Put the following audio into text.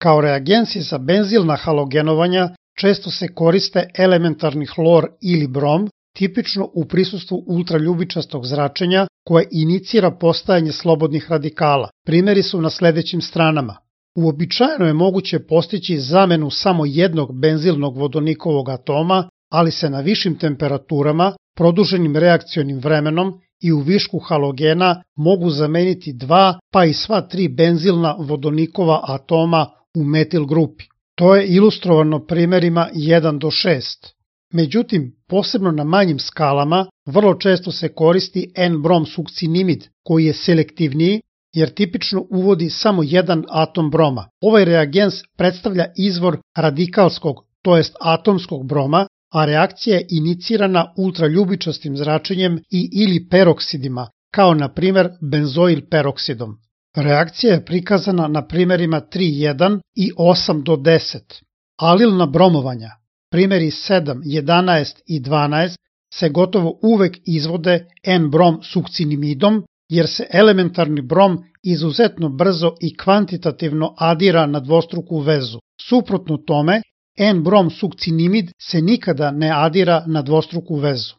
Kao reagensi za benzilna halogenovanja često se koriste elementarni hlor ili brom, tipično u prisustvu ultraljubičastog zračenja koje inicira postajanje slobodnih radikala. Primeri su na sledećim stranama. Uobičajeno je moguće postići zamenu samo jednog benzilnog vodonikovog atoma, ali se na višim temperaturama, produženim reakcionim vremenom i u višku halogena mogu zameniti 2 pa i sva 3 benzilna vodonikova atoma u metil grupi. To je ilustrovano primerima 1 do 6. Međutim, posebno na manjim skalama, vrlo često se koristi N-brom sukcinimid koji je selektivniji jer tipično uvodi samo jedan atom broma. Ovaj reagens predstavlja izvor radikalskog, to jest atomskog broma, a reakcija je inicirana ultraljubičastim zračenjem i ili peroksidima, kao na primer benzoil peroksidom. Reakcija je prikazana na primerima 3.1 i 8 do 10. Alilna bromovanja, primeri 7, 11 i 12, se gotovo uvek izvode N-brom sukcinimidom, jer se elementarni brom izuzetno brzo i kvantitativno adira na dvostruku vezu. Suprotno tome, N-brom sukcinimid se nikada ne adira na dvostruku vezu.